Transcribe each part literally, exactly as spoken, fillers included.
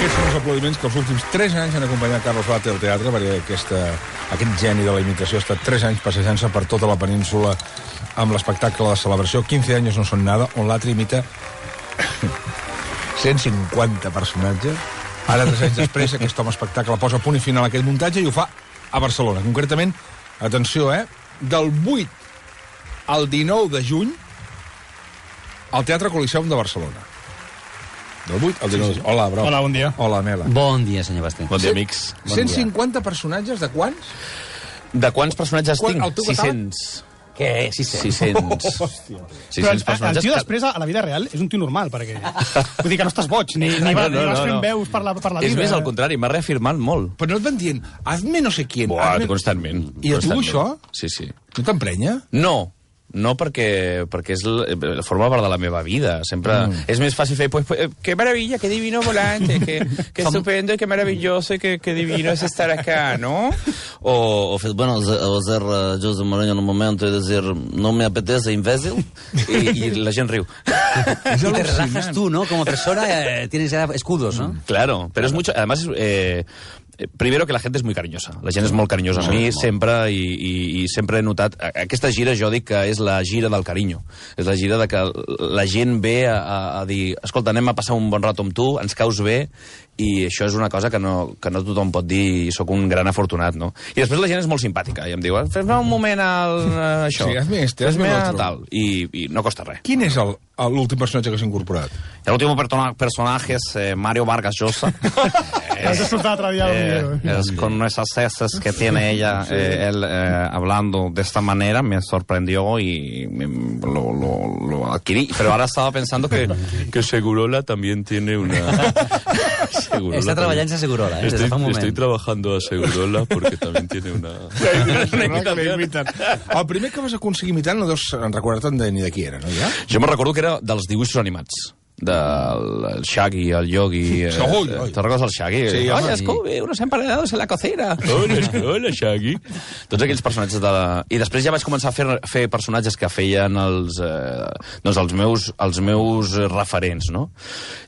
Aquests són els aplaudiments que els últims tres anys han acompanyat Carlos Bate al teatre, perquè aquesta, aquest geni de la imitació ha estat tres anys passejant-se per tota la península amb l'espectacle de celebració quinze anys no són nada, on l'altre imita cent cinquanta personatges. Ara, tres anys després, aquest home espectacle posa punt i final a aquell muntatge i ho fa a Barcelona. Concretament, atenció, eh? Del vuit al dinou de juny al Teatre Coliseum de Barcelona. Del vuit al dinou de juny. Hola, bro. Hola, bon dia. Hola, Mela. Bon dia, senyor Basté. Bon dia, amics. Bon cent dia. cinquanta personatges de quants? De quants personatges Quan- tinc? el teu catàleg? sis-cents. Què? sis-cents? sis-cents. Però sis-cents el, el personatges. tio que- després, a la vida real, és un tio normal, perquè... Vull dir que no estàs boig, ni, ni, va, No, no, ni vas no, fent no. veus per la, per la vida. És més, al contrari, m'ha reafirmat molt. Però no et van dient, hazme no sé quién. Buah, hazme... constantment. I a tu constantment. això? Sí, sí. No t'emprenya? No, no perquè, perquè és la, forma part de la meva vida. Sempre mm. és més fàcil fer, pues, pues, qué maravilla, qué divino volante, qué, qué estupendo, qué maravilloso, qué, qué divino es estar acá, ¿no? O, o fer, bueno, o ser uh, José Mourinho en un momento y decir, no me apetece, imbécil, y, y la gent riu. Y te relajas tú, ¿no? Como persona eh, tienes ya escudos, ¿no? Claro, pero es mucho, además, eh, primero que la gent és molt carinyosa. La gent és molt carinyosa amb mi, sempre, i, i, i sempre he notat... Aquesta gira jo dic que és la gira del carinyo. És la gira de que la gent ve a, a, a dir, escolta, anem a passar un bon rato amb tu, ens caus bé, i això és una cosa que no, que no tothom pot dir i sóc un gran afortunat, no? I després la gent és molt simpàtica, i em diu, fes-me un moment al, això. Sí, hazme este, hazme fes-me l'altre. tal. I, I no costa res. Quin és el- l'últim personatge que s'ha incorporat? El último persona- personaje es eh, Mario Vargas Llosa. Has escoltat l'altre dia el video. Eh, es con esas cejas que tiene ella, eh, él eh, hablando de esta manera, me sorprendió y me- lo, lo, lo adquirí. Pero ahora estaba pensando que, que Segurola también tiene una... Segurola Está también. trabajando en Segurola, ¿eh? Desde Estoy, fa un moment. estoy trabajando a Segurola porque también tiene una... El primer que vas aconseguir imitar no deus recordar-te'n de ni de qui era, no? Ja? Jo me recordo que era dels dibuixos animats. Del Shaggy, el Yogi... Eh, Oi, oi. Te'n recordes del Shaggy? Sí, home. Oye, Scooby, unos emparedados en la cocina. Hola, hola, Shaggy. Tots aquells personatges de la... I després ja vaig començar a fer, fer personatges que feien els, eh, doncs els, meus, els meus referents, no?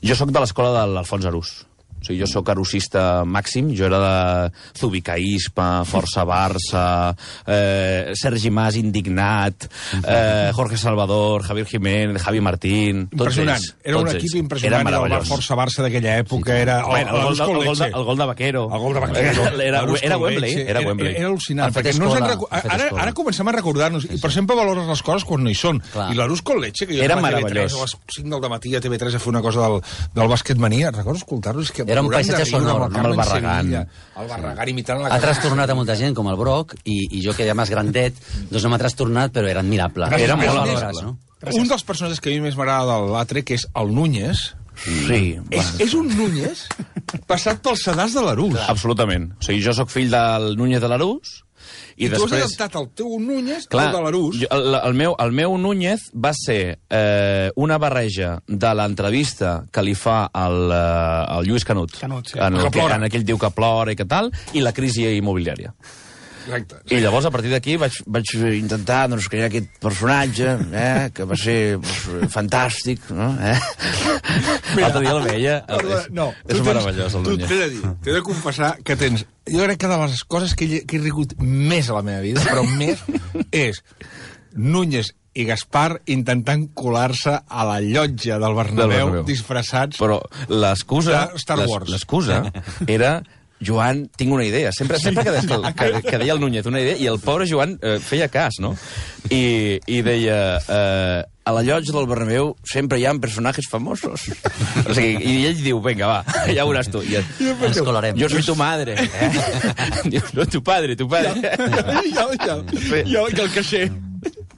Jo sóc de l'escola de l'Alfons Arús. O sigui, jo sóc arusista màxim, jo era de Zubicaíspa, Força Barça, eh, Sergi Mas indignat, eh, Jorge Salvador, Javier Jiménez, Javi Martín... Tots Impressionant. ells, Era un tots equip ells. impressionant. Era Era el meravellós. Força Barça d'aquella època. Era el, Bueno, el, gol, l'Arús el, con gol de, leche. el gol de Vaquero. El gol de Vaquero. Era, l'Arús era con Wembley. leche. Era Wembley. Era, era al·lucinant. Han fet Perquè no ens en escola, recu... han fet ara, escola. ara comencem a recordar-nos. I, per exemple, valores les coses quan no hi són. Clar. I l'Arús con leche, que jo Era anava a meravellós. T V tres, a les cinc del dematí a T V tres a fer una cosa del, del bàsquet mania. Recordes escoltar-lo? És que Era un programa paisatge de riure sonor, amb no? Carmen Amb el Barragán. Sevilla, El Barragán imitant la Ha trastornat a molta gent, com el Broc, i, i jo que era més grandet, doncs no m'ha trastornat, però era admirable. Era molt valores, admirable. no? Un dels personatges que a mi més m'agrada de l'altre, que és el Núñez, Sí. és, és un Núñez passat pels sedars de l'Arús. Absolutament. O sigui, jo sóc fill del Núñez de l'Arús, I, i, tu has després... adaptat el teu Núñez Clar, al de l'Arús. jo- el, el, meu, el meu Núñez va ser eh, una barreja de l'entrevista que li fa al, eh, al Lluís Canut, Canut, sí. en, Que el que, plora. en aquell diu que plora i que tal, i la crisi immobiliària. Exacte. I llavors, a partir d'aquí, vaig, vaig intentar doncs, crear aquest personatge, eh, que va ser doncs, fantàstic, no? Eh? L'altre dia el veia. Perdona, És, no, és tu meravellós, el tu Núñez. t'he de dir, t'he de confessar que tens... Jo crec que de les coses que he, que he rigut més a la meva vida, però més, és Núñez i Gaspar intentant colar-se a la llotja del Bernabéu, Del Bernabéu. disfressats... Però l'excusa... De Star Wars. l'es- L'excusa era... Joan, tinc una idea. Sempre, sempre que, deia, que, que deia el Núñez una idea, i el pobre Joan eh, feia cas, no? I, i deia... Eh, a la llotja del Bernabéu sempre hi ha personatges famosos. O sigui, i ell diu, vinga, va, ja ho veuràs tu. I, Ens colarem. jo soy tu madre. Eh? Diu, no, tu padre, tu padre. Ja, ja, ja, ja, que el caixer...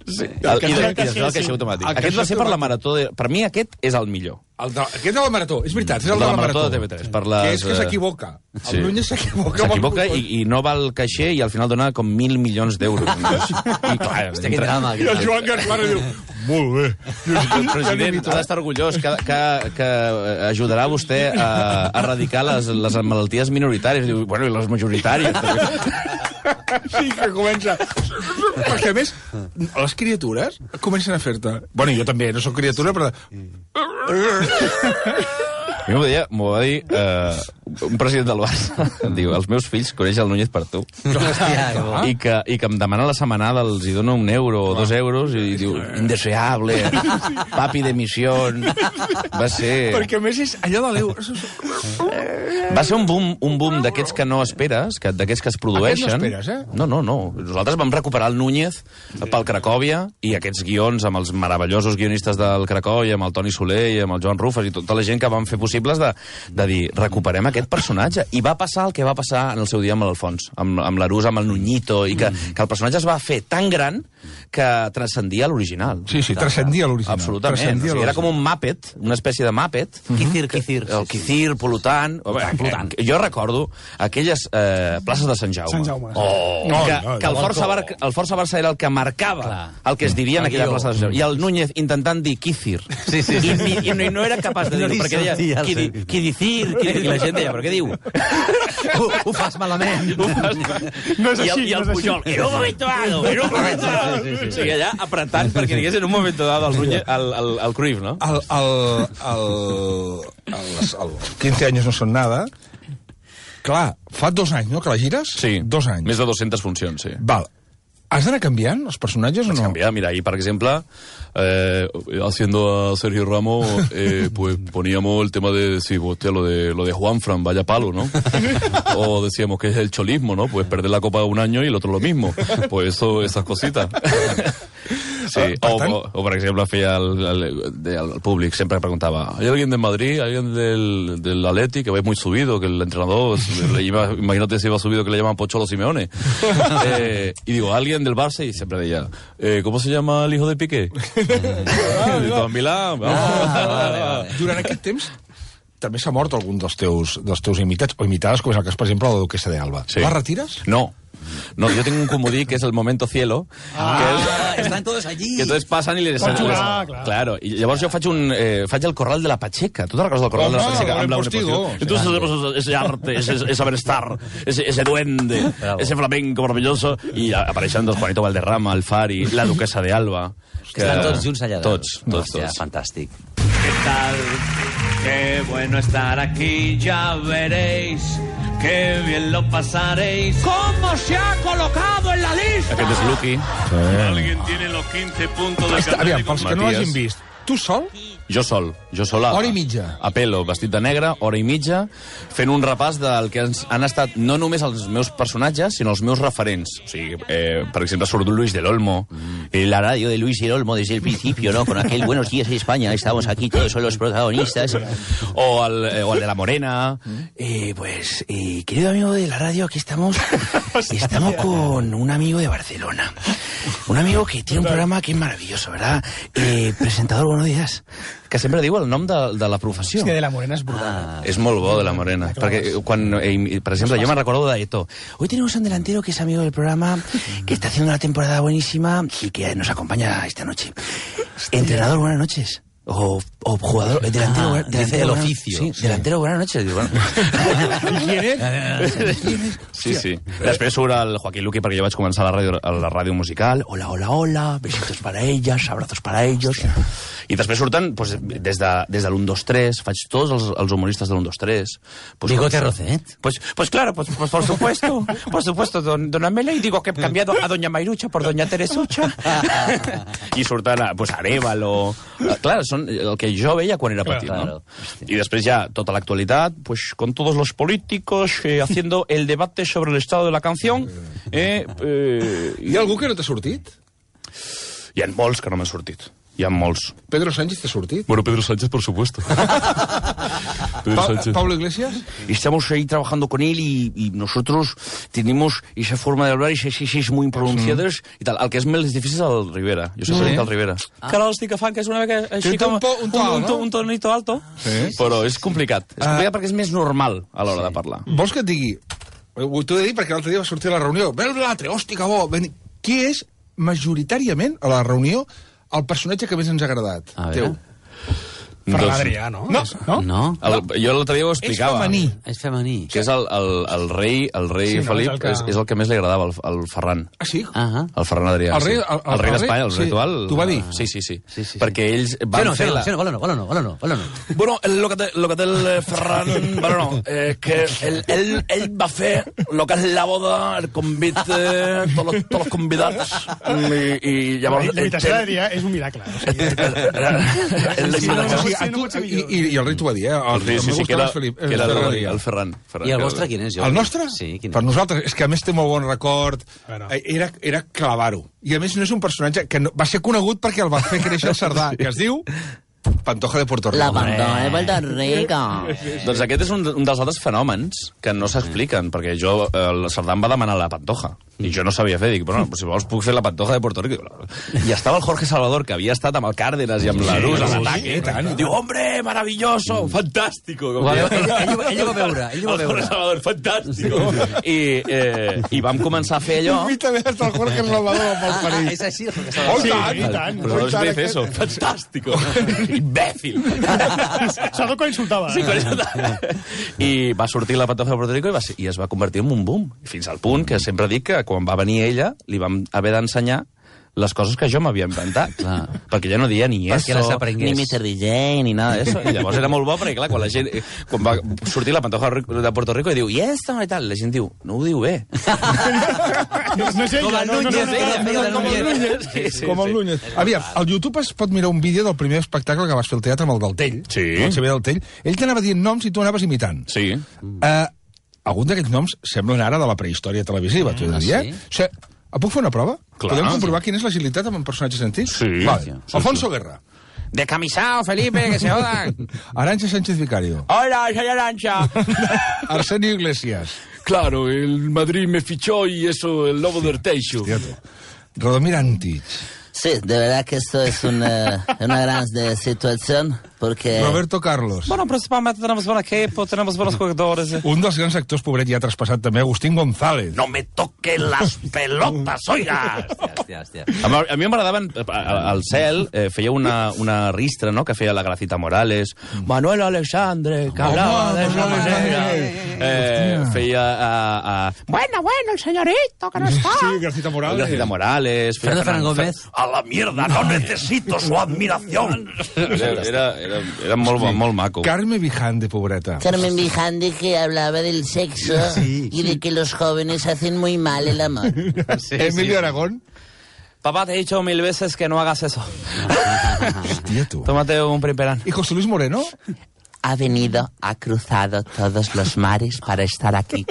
Sí. El, I, de, I després el caixer automàtic. El Aquest va caixer ser per la automàtic. marató. De, per mi aquest és el millor. El de, aquest de la Marató, és veritat, és el De de la la Marató Marató. de T V tres, per les, Que és que eh, s'equivoca. sí. El Núñez s'equivoca. S'equivoca i, i no va al caixer i al final dona com mil milions d'euros. I clar, Hòstia, quin drama. I el Joan Gaspar diu, molt bé. el president ha d'estar orgullós que, que, que ajudarà vostè a, a erradicar les, les malalties minoritàries. Diu, bueno, i les majoritàries. Sí, que comença... Perquè, a més, les criatures comencen a fer-te... Bueno, jo també, no sóc criatura, però... A mi m'ho deia, m'ho va dir eh, un president del Barça. Em diu, els meus fills coneixen el Núñez per tu. Hòstia, I que, I que em demana la setmanada, els hi dona un euro o dos euros, i diu, indeseable, papi de missió. Va ser... Perquè, a més, és allò de l'euro. Va ser un boom, un boom d'aquests que no esperes, que, d'aquests que es produeixen. Aquest no esperes, eh? No, no, no. Nosaltres vam recuperar el Núñez pel Cracòvia i aquests guions amb els meravellosos guionistes del Cracòvia, amb el Toni Soler i amb el Joan Rufas i tota la gent que van fer possibles de, de dir, recuperem aquest personatge. I va passar el que va passar en el seu dia amb l'Alfons, amb, amb l'Arús, amb el Nuñito, i que, mm. que el personatge es va fer tan gran que transcendia l'original. Sí, sí, transcendia l'original. Absolutament. O sigui, era com un Muppet, una espècie de Muppet. Mm-hmm. Quizir, Quizir. El Quizir, polutant. Polutant. Jo recordo aquelles eh, places de Sant Jaume. Sant Jaume. Oh, No, que, no, que el no. Força, Bar, el Força Barça era el que marcava Clar. el que es diria en aquella guió. plaça de Sant Jaume. I el Núñez intentant dir Quizir. Sí, sí, sí. I, i, i no era capaç de No dir-ho, li perquè deia sortia el qui, sentit. qui dicir, qui, i la gent deia, però què diu? Ho, ho fas malament. Ho fas mal. No és I el, així, i el no és Pujol, així. en un moment dado, en un moment dado. Sí, sí, sí, sí. O sigui, allà apretant perquè digués en un moment dado el, Núñez, el, el, el Cruyff, no? El, el, el, el, el quince años no son nada. Clar, fa dos anys, no, que la gires? Sí. Dos anys. Més de dues-centes funcions, sí. Val. Has d'anar canviant els personatges o Vaig no? cambiar, mira, ahí, por ejemplo, eh, haciendo a Sergio Ramos, eh, pues poníamos el tema de, sí, hostia, lo de, lo de Juanfran, vaya palo, ¿no? O decíamos que es el cholismo, ¿no? Pues perder la copa un año y el otro lo mismo. Pues eso, esas cositas. Sí, Ah, o, per tant- o, o, por ejemplo, feia al, al, de, al públic, siempre preguntaba, ¿hay alguien de Madrid, hay alguien del, del Atleti que vais muy subido, que el entrenador, le iba, imagínate si iba subido que le llaman Pocholo Simeone? Eh, y digo, ¿alguien del Barça? Y siempre decía, eh, ¿cómo se llama el hijo de Piqué? Ah, de Don Milán, vamos. Ah, vale, vale. Durant aquest temps també s'ha mort algun dels teus, dels teus imitats, o imitades, com és el cas, per exemple, la duquesa d'Alba. Sí. La retires? No. No, yo tengo un comodí que es el momento cielo. Ah, que es, están todos allí. que entonces pasan y les... Pots jugar, les- clar. Claro, i llavors jo faig, un, eh, faig el corral de la Pacheca. Tu te'n recordes del corral Home, de la Pacheca? Buen Amb la Postigo. Buen Postigo. Entonces hacemos ese arte, ese, ese saber estar, ese, ese duende, Bravo. ese flamenco maravilloso, i apareixen dos Juanito Valderrama, el Fari, la duquesa de Alba. Que... Estan tots junts allà. Tots, tots, Hòstia, tots. fantàstic. ¿Qué tal? Qué bueno estar aquí, ya veréis. Qué bien lo pasaréis. ¿Cómo se ha colocado en la lista? Aquest és Lucky. Alguien tiene los quince puntos de Està, aviam, pels que no Matías. l'hagin vist, tu sol? Jo sol, jo sol a, Hora i mitja. a pelo, vestit de negre, hora i mitja, fent un repàs del que ens, han estat no només els meus personatges, sinó els meus referents. O sigui, eh, per exemple, surt Luis del Olmo. Eh, La radio de Luis del Olmo desde el principio, ¿no? Con aquel Buenos días España, estamos aquí, todos son los protagonistas. O el, eh, o el de la Morena. Eh, pues, eh, querido amigo de la radio, aquí estamos. Estamos con un amigo de Barcelona. Un amigo que tiene un programa que es maravilloso, ¿verdad? Eh, presentador, buenos días. Que sempre diu el nom de, de la professió. És que de la Morena és brutal. Ah, És molt bo, de la Morena. Perquè quan, eh, per exemple, jo me'n recordo de Eto. Hoy tenemos un delantero que es amigo del programa, que está haciendo una temporada buenísima y que nos acompaña esta noche. Entrenador, buenas noches. O, o jugador, delantero, Ah, buena- dice delantero el buena- oficio. Sí, delantero, buenas noches. Digo, bueno. ¿Quién es? Sí, sí. Després surt el Joaquín Luqui, perquè jo vaig començar a la ràdio, a la ràdio musical. Hola, hola, hola, besitos para ellas, abrazos para ellos. I després surten pues, des de, des de l'u dos tres, faig tots els, els humoristes de l'u dos tres. Pues, Bigote pues, Rocet. Pues, pues claro, pues, pues por supuesto, por supuesto, don, don Amela, y digo que he cambiado a doña Mairucha por doña Teresucha. I surten a, pues, Arevalo. Clar, són el que jo veia quan era petit, Claro. no? I després ja tota l'actualitat, pues con todos los políticos eh, haciendo el debate sobre el estado de la canción. Eh, eh, Hi ha algú que no t'ha sortit? hi ha molts que no m'han sortit. Hi ha molts. Pedro Sánchez t'ha sortit? Bueno, Pedro Sánchez, por supuesto. Pedro Pa Sánchez. Pablo Iglesias? Estamos ahí trabajando con él y, y nosotros tenemos esa forma de hablar y esas es muy pronunciadas. I tal. El que és més difícil és el Rivera. Jo sempre dic el Rivera. Ah. Que ara l'estic agafant, que és una mica així Té un com... po- un to alt, un, to- no? un tonito alto. Sí. Però és complicat. És complicat perquè és més normal a l'hora de parlar. Vols que et digui? Ho t'ho he de dir perquè l'altre dia va sortir a la reunió. Ve l'altre, hòstia, que bo. Ben... Qui és, majoritàriament, a la reunió, el personatge que més ens ha agradat? A veure. Teu. Ferran Doncs- Adrià, no? No. És- no? No? El, jo l'altre dia ho És explicava. femení. És femení. Que és el, el, el rei, el rei Sí, no, Felip, és el que- és, és el que més li agradava, el, el Ferran. Ah, sí? Ah, El Ferran Adrià. El rei- sí. el- el- el rei el d'Espanya, rei- el sí. ritual. T'ho va dir? Sí, sí, sí. Sí, sí, sí. Perquè ells sí van no, fer sí no, la... sí no, bueno, no, bueno, no, bueno, no, bueno, no. Bueno, el, lo, que te, lo que té el Ferran, bueno, no, eh, que ell, ell, ell va fer lo que és la boda, el convit, eh, tots los, tots los convidats, i, i llavors... La imitació d'Adrià és un miracle. O sigui, El, Sí, no, no, O sigui, sí, a no tu, pot ser i, millor. i, I el rei t'ho va dir, eh? El, sí, sí, el sí, meu que era, gustava és Felip, que era Ferran el, Adrià. el Ferran. Ferran I el que- vostre quin és? Jo? El nostre? Sí, quin Per és? nosaltres, és que a més té molt bon record. Bueno. Eh, Era, era clavar-ho. I a més no és un personatge que no, va ser conegut perquè el va fer créixer el Cerdà, que es diu Pantoja de Puerto Rico. La Pantoja de Puerto Rico. Doncs aquest és un, un dels altres fenòmens que no s'expliquen, perquè jo, eh, el Cerdà em va demanar la Pantoja, i jo no sabia fer, dic, però no, si vols puc fer la Pantoja de Puerto Rico. I estava el Jorge Salvador, que havia estat amb el Cárdenas i amb la Luz a l'ataque. Diu, hombre, maravilloso, fantástico. Ho va veure, ell, ell, ell ho va veure, ell ho va El Jorge veure. Salvador, fantástico. I, eh, I vam començar a fer allò... Invítame hasta el Jorge Salvador amb el Ah, perill. és així, el que Oh, estava... i tant, i tant. Però no Oh, i tant, es dice eso, fantástico. Imbècil. Sobretot quan insultava. Sí, eh? quan... I va sortir la Pantoja de Puerto Rico i, va, ser- i es va convertir en un boom. Fins al punt que sempre dic que quan va venir ella li vam haver d'ensenyar les coses que jo m'havia inventat. Clar. Perquè ja no deia ni Perquè eso, les aprengués. ni mister D J, ni nada d'això. I llavors era molt bo perquè, clar, quan la gent... Quan va sortir la Pantoja de Puerto Rico i diu, i esto i tal, la gent diu, no ho diu bé. No, no és ella, Com el no, no, no, Núñez, no, feia- no, feia de no, no, Núñez. no, no, Sí, sí, Com el sí. Núñez. Aviam, al YouTube es pot mirar un vídeo del primer espectacle que vas fer al teatre amb el del Tell. Sí. El C B del Tell. Ell t'anava dient noms i tu anaves imitant. Sí. Uh, alguns d'aquests noms semblen ara de la prehistòria televisiva, t'ho he de dir, eh? sí? O sigui, puc fer una prova? Clar. Podem comprovar quina és l'agilitat amb personatges antics? Sí. Vale. Sí, Alfonso Guerra. Decamisao, Felipe, que se jodan. Arantxa Sánchez Vicario. Hola, soy Arancha. Arsenio Iglesias. Claro, el Madrid me fichó y eso, el lobo del Teixo. Hòstia, tu. Radomir Antich. Sí, de verdad que esto es una, una gran de situación, porque... Roberto Carlos. Bueno, principalmente tenemos buen equipo, tenemos buenos jugadores. Un dels grans actors, pobret, ja ha traspassat també, Agustín González. No me toquen las pelotas, oiga! Hòstia, hòstia. A mi- a mi m'agradaven... Al Cel eh, feia una, una ristra, no?, que feia la Gracita Morales, Manuel Alexandre, que hablaba de esa Manuel manera... Alexandre. Eh, feia... Uh, uh, bueno, bueno, el señorito, que no está... Sí, Gracita Morales. Gracita Morales... feia Fernando Fernández Gómez. A la mierda, no necesito su admiración. Era, era, era, era molt, bo, molt maco. Carme Vijande, pobreta. Carmen Vijande, que hablaba del sexo y de que los jóvenes hacen muy mal el amor. Emilio Aragón. Papá, te he dicho mil veces que no hagas eso. Hòstia, tu. Tómate un primperán. Y José Luis Moreno. Ha venido, ha cruzado todos los mares para estar aquí.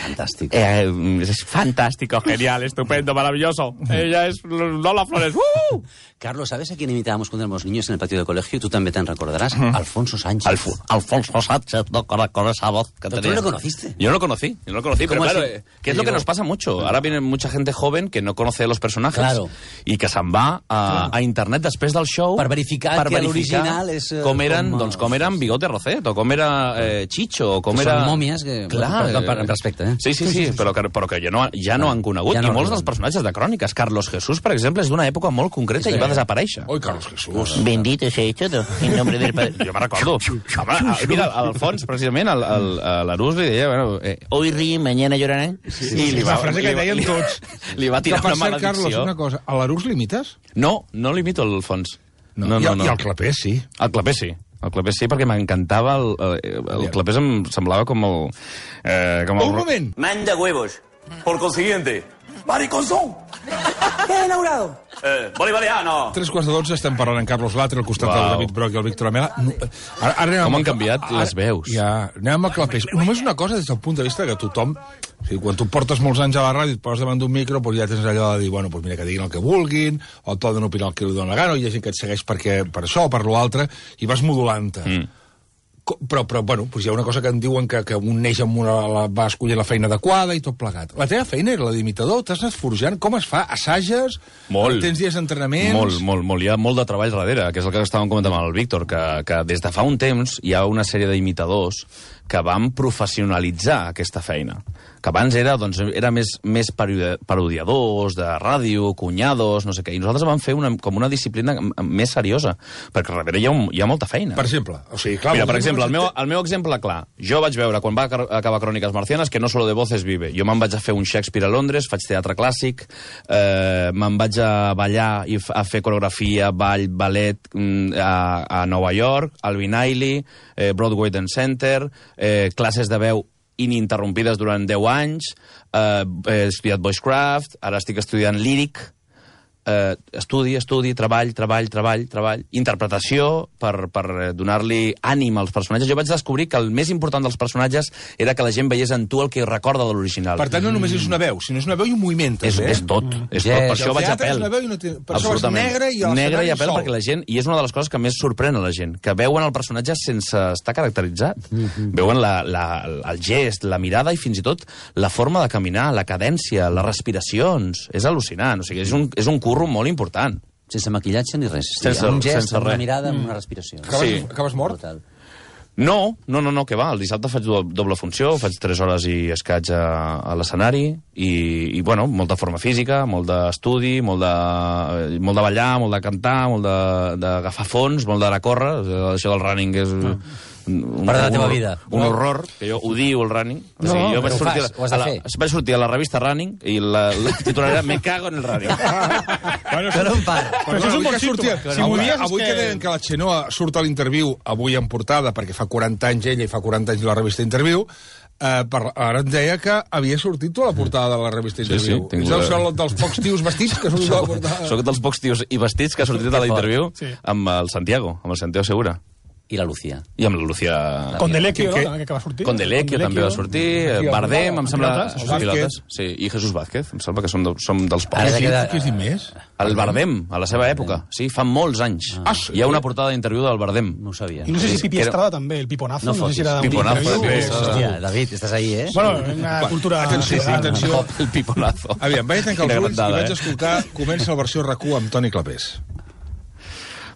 Fantàstic. Eh, es fantástico, genial, estupendo, maravilloso. Ella es Lola Flores. ¡Uh! Carlos, ¿sabes a quién imitábamos cuando éramos niños en el patio de colegio? Tú también te recordarás. Alfonso Sánchez. Alfo- Alfonso Sánchez, no, con, con esa voz que Pero tú tenía. no lo conociste. Yo no lo conocí, yo no lo conocí, pero ¿Cómo claro, así? eh, que es lo que Llegó. nos pasa mucho. Ahora viene mucha gente joven que no conoce a los personajes Claro. i que se'n va a, a internet després del show Per verificar que l'original és, eh, com eren, com, doncs, com eren Bigote Rocet, o com era eh, Chicho, o com Que era... són mòmies que- Clar, per- per- per respecte, eh? Sí, sí, sí, però que, però que ja no, ja no han conegut. Ja I no molts arriben. dels personatges de cròniques. Carlos Jesús, per exemple, és d'una època molt concreta i va desaparèixer. Oi, Carlos Jesús. Bendito sea todo, en nombre del Padre. Jo me'n recordo. Home, ah, mira, al fons, precisament, el, el, el, l'Arús li deia... Bueno, eh, Hoy ríen, mañana llorarán. sí, És la frase que li va- deien li- tots. Li va Que, tirar per una cert, Carlos, maledicció. una cosa. A l'Arús l'imites? No, no l'imito el fons. No, I, no, el- no. I el Clapés, sí. El Clapés sí. El Clapés sí, perquè m'encantava... El, el, el Clapés em semblava com el... Eh, com el... Un moment. Manda huevos. Por consiguiente, mariconzón. ¿Qué has inaugurado? Eh, bolivariano. Tres quarts de dotze estem parlant en Carlos Latre, al costat Uau. del David Broc i el Víctor Amela. No, ara, ara anem Com amb- han canviat ara- les veus. Ja, anem amb el Clapés. Només una cosa des del punt de vista que tothom... O sigui, quan tu portes molts anys a la ràdio i et poses davant d'un micro, doncs ja tens allò de dir, bueno, doncs mira, que diguin el que vulguin, o et poden opinar el que li dona la gana, o hi ha gent que et segueix perquè, per això o per l'altre, i vas modulant-te. Mm. Co- Però, però, bueno, doncs hi ha una cosa que em diuen que, que un neix amb una... La, va escollir la feina adequada i tot plegat. La teva feina era la d'imitador? T'has anat forjant? Com es fa? Assages? Molt. Tens dies d'entrenaments? Molt, molt, molt. Hi ha molt de treball darrere, que és el que estàvem comentant amb el Víctor, que, que des de fa un temps hi ha una sèrie d'imitadors que van professionalitzar aquesta feina. que abans era, doncs, era més, més parodiadors de ràdio, cunyados, no sé què, i nosaltres vam fer una, com una disciplina més seriosa, perquè darrere hi ha, un, hi ha molta feina. Per exemple, o sigui, clar... Mira, per exemple, el meu, el meu exemple clar, jo vaig veure, quan va acabar Cròniques Marcianes, que no solo de voces vive. Jo me'n vaig a fer un Shakespeare a Londres, faig teatre clàssic, eh, me'n vaig a ballar i a fer coreografia, ball, ballet a, a Nova York, al Vinailie, eh, Broadway Dance Center, eh, classes de veu ininterrompides durant deu anys, eh, he estudiat Voicecraft, ara estic estudiant líric, eh, estudi, estudi, treball, treball, treball, treball, interpretació per, per donar-li ànim als personatges. Jo vaig descobrir que el més important dels personatges era que la gent veiés en tu el que recorda de l'original. Per tant, no només és una veu, sinó és una veu i un moviment, també. És, és tot, mm. és tot. Per això vaig a pèl. No té... Per això és negre i el negre i a pèl, sol. perquè la gent, i és una de les coses que més sorprèn a la gent, que veuen el personatge sense estar caracteritzat. Mm-hmm. Veuen la, la, el gest, la mirada i fins i tot la forma de caminar, la cadència, les respiracions. És al·lucinant, o sigui, és un, és un curro molt important. Sense maquillatge ni res. Sense, un gest, sense una res. mirada, amb una respiració. Acabes, sí. acabes mort? Total. No, no, no, no, que va. El dissabte faig doble funció, faig tres hores i escaig a, a l'escenari i, i, bueno, molta forma física, molt d'estudi, molt de, molt de ballar, molt de cantar, molt d'agafar fons, molt d'anar a córrer. Això del running és... Ah. Un, part de la teva vida. Un, un horror, que jo odio el running. O sigui, no, jo vaig sortir, fas, ho has de fer. La, vaig sortir a la revista Running i la, la titular era Me cago en el running. Bueno, però un part. Però això és un bon símptoma. Si avui dies, avui que... que deien que la Xenoa surt a l'interviu avui en portada, perquè fa quaranta anys ella i fa quaranta anys la revista Interviu, eh, per, ara em deia que havia sortit tu a la portada de la revista Interviu. Sí, sí, Ets el la... dels pocs tios vestits que sortit a la portada. Soc dels pocs tios i vestits que ha sortit a l'Interviu sí. amb el Santiago, amb el Santiago Segura. I la Lucía. I amb la Lucía... Condelecchio, no? També que va sortir. Condelecchio també va sortir, Bardem, em sembla... Pilotes, pilotes, sí, i Jesús Vázquez, em sembla que som, de, som dels pocs. Què queda... has dit més? El Bardem, a la seva època, sí, fa molts anys. Ah, sí. Hi ha una portada d'interviu del Bardem. No ho sabia. I no sé si Pipi Estrada també, el Piponazo. No, no sé si era Piponazo, també. Hòstia, David, estàs ahí, eh? Bueno, una cultura... Atenció, atenció. El Piponazo. Aviam, vaig tancar els ulls i vaig escoltar, comença la versió R A C U amb Toni Clapés.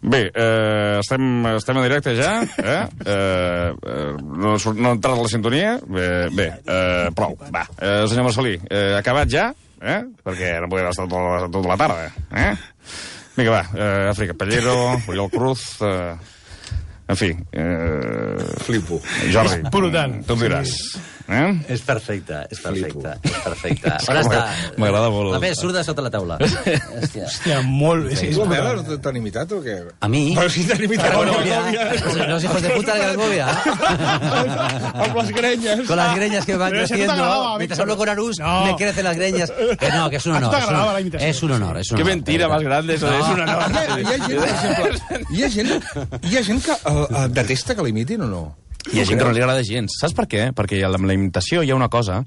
Bé, eh, estem, estem en directe ja, eh? eh, no, no ha entrat la sintonia, bé, bé eh, prou, va. Eh, senyor Marcelí, eh, acabat ja, eh? Perquè no podem estar tota, tota la tarda, eh? Vinga, va, eh, Àfrica Pallero, Oriol Cruz, eh, en fi, eh, flipo. Jordi, Brutal. tu em diràs. Eh? És perfecte, és perfecte, és perfecte. On està? M'agrada molt. A més, surt de sota la taula. Hòstia. Hòstia, molt... Sí, tu, Mela, t'han imitat o què? A mi? Però si t'han imitat a Grangovia. Los hijos de puta de Grangovia. Amb les grenyes. Con las greñas que van creciendo. Mientras hablo con Arús, me crecen las greñas. Que no, que es un honor. Es un honor, es un honor. Qué mentira más grande, eso es un honor. Hi ha gent, per exemple, hi ha gent, hi ha gent que uh, detesta que l'imitin o no? Hi ha gent que no li agrada gens. Saps per què? Perquè amb la imitació hi ha una cosa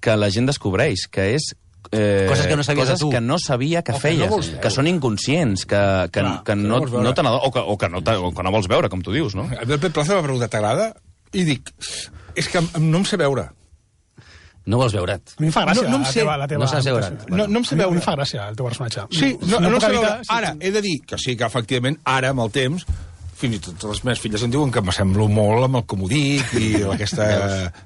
que la gent descobreix, que és eh, coses que no sabia coses de tu. que no sabia que O feies, que, no que són inconscients, que, que, Clar, que no, que no no te n'adon- o, que, o, que no te, o que no vols veure, com tu dius, no? El Pep Plaza m'ha preguntat, t'agrada? I dic, és que no em sé veure. No vols veure't. A mi em fa gràcia No- no em la sé- teva, la teva no saps veure. imitació. No, no em sé A mi veure. em fa gràcia el teu personatge. Sí, no, no, no puc sé evitar- veure. sí. Ara, he de dir que sí, que efectivament, ara, amb el temps, fins i tot les meves filles em diuen que m'assemblo molt amb el com ho dic i aquesta,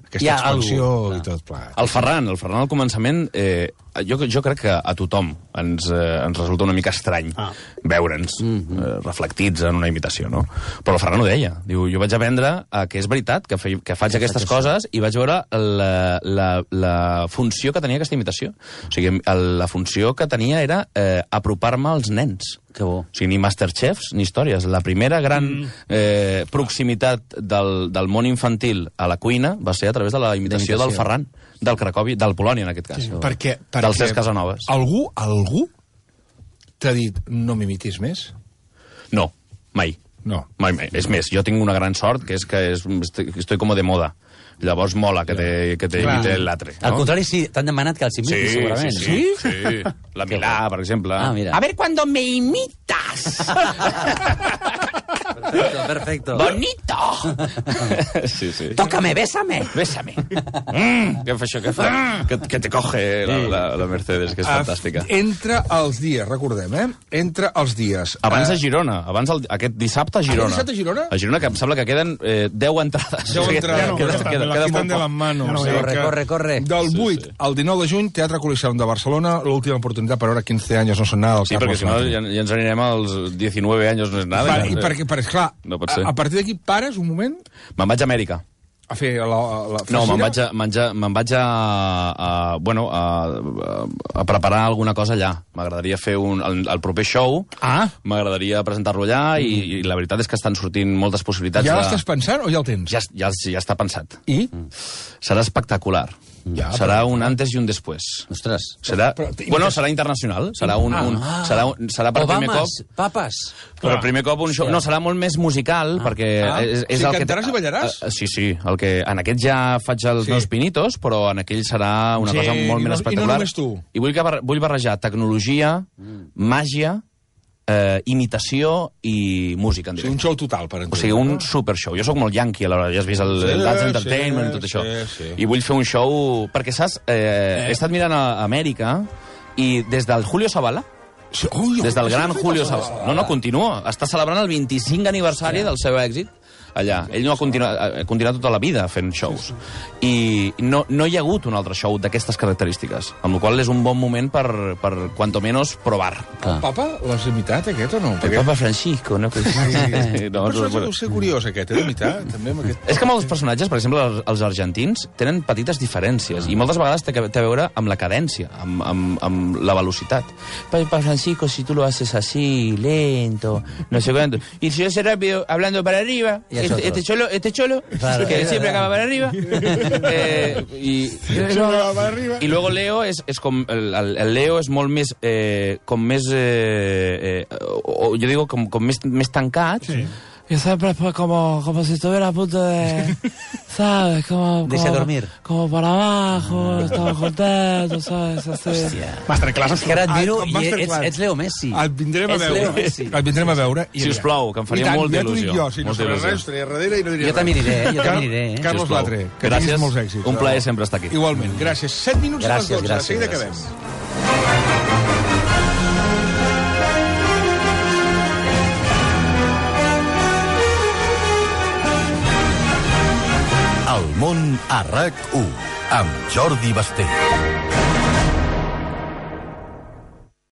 aquesta Hi ha expansió algú, i tot plegat. El Ferran, el Ferran al començament, eh, jo, jo crec que a tothom ens, eh, ens resulta una mica estrany Ah. veure'ns eh, reflectits en una imitació, no? Però el Ferran ho deia. Diu, jo vaig aprendre a que és veritat que, fe, que faig aquestes coses i vaig veure la, la, la funció que tenia aquesta imitació. O sigui, el, la funció que tenia era eh, apropar-me als nens. Que bo. O sigui, ni Masterchefs ni històries. La primera gran eh, proximitat del, del món infantil a la cuina va ser a través de la imitació del Ferran, del Cracòvia, del Polònia, en aquest cas. Sí, perquè, perquè Del Cesc Casanovas. Algú, algú t'ha dit no m'imitis més? No, mai. No. Mai, mai. És més, jo tinc una gran sort, que és que és, estoy, estoy como de moda. Llavors mola que te, que te imite l'altre. Al No? contrari, sí, t'han demanat que els imitis, Sí, segurament. sí, sí, sí. La Milà, per exemple. Ah, mira. A ver cuando me imitas. Perfecto, perfecto. Bonito! Sí, sí. Tócame, bésame. Bésame. Mm, què fa això? Què fa? Que, que te coge la, la, la Mercedes, que és fantàstica. Entre els dies, recordem, eh? Entre els dies. Abans a Girona, abans el, aquest dissabte a Girona. Aquest dissabte a Girona? A Girona, que em sembla que queden eh, deu entrades. deu entrades. no, Queda, ja queda, no, queda, la queda quitan de de les manos. no, o sigui corre, que corre, corre. Del Sí, vuit sí. al dinou de juny, Teatre Coliseum de Barcelona, l'última oportunitat per veure quinze anys no són nada del Sí, perquè Carlos si no Latre. ja, ja ens anirem als diecinueve anys, no és nada. Vale, ja, I perquè, per, esclar, No pot a, ser. a partir d'aquí pares un moment Me'n vaig a Amèrica. a fer la, la No, me'n feixina? vaig, a, menjar, me'n vaig a, a, bueno, a, a preparar alguna cosa allà. M'agradaria fer un, el, el proper show, Ah, m'agradaria presentar-lo allà i, i la veritat és que estan sortint moltes possibilitats. ja de... l'estàs pensant o ja el tens? Ja, ja, ja està pensat. I? Serà espectacular. Ja, serà però- un antes i un després. Ostres. Serà, Però- bueno, serà internacional. Serà un, un, serà, un, serà per primer cop... Obamas, papes. Per primer cop un show... No, serà molt més musical, perquè Ah. és, és Sí, el que... cantaràs i ballaràs? Uh, sí, sí. El que, en aquest ja faig els Sí. meus pinitos, però en aquell serà una Sí, cosa molt i no- més i no espectacular. només tu. I vull, que, bar- vull barrejar tecnologia, màgia, eh, imitació i música en O sigui, un directe. show total, per O entendre. sigui, un no? super show. Jo sóc molt yankee, a l'hora, ja has vist el, Sí, el Dance sí, Entertainment i tot això. sí, sí. I vull fer un show... Perquè, saps, eh, he estat mirant a Amèrica i des del Julio Zavala, Sí, ui, des del ui, gran sí, Julio sí, Zavala... No, no, continua. Està celebrant el vint-i-cinc aniversari del seu èxit allà. Ell no ha continuat, ha continuat tota la vida fent shows. I no, no hi ha hagut un altre show d'aquestes característiques, amb la qual cosa és un bon moment per, per cuanto menos, provar. El papa l'has imitat, aquest, o no? El Papa Francisco, no? Sí. no, Un personatge bueno. deu ser curiós, aquest, eh, d'imitar, també, amb aquest... És que molts personatges, per exemple, els, els argentins, tenen petites diferències, i moltes vegades té, que- té a veure amb la cadència, amb, amb, amb la velocitat. Papa Francisco, si tu lo haces así, lento, no sé cuánto. Y si yo sé rápido, hablando para arriba, Y es este, otro. este cholo, este cholo, Claro. que siempre acaba para arriba. Eh, y, y, luego, para arriba. i luego Leo és, és com... El, el, el Leo és molt més... Eh, com més... Eh, eh, o, jo digo, com, com més, més tancat. Sí. Y siempre es pues como, como si estuviera a punto de... ¿Sabes? Como, Deixa como, dormir. como para abajo, estaba contento, ¿sabes? Así. Masterclass. És que ara et miro Ah, i Masterclass. ets, ets Leo Messi. Et vindrem a Ets Leo veure. Messi. Et vindrem a veure. i Si us mira. plau, que em faria I tant, molta ja t'ho dic il·lusió. jo, si no Molta sabràs il·lusió. res, estaria darrere i no diria Jo també aniré, eh? Jo Car- també aniré, eh? Carlos Sisplau. Latre, que Gràcies. tinguis molts èxits. Un plaer sempre estar aquí. Igualment, gràcies. set minuts Gràcies, a les dotze, gràcies, de seguida gràcies. acabem. El món a RAC u amb Jordi Basté.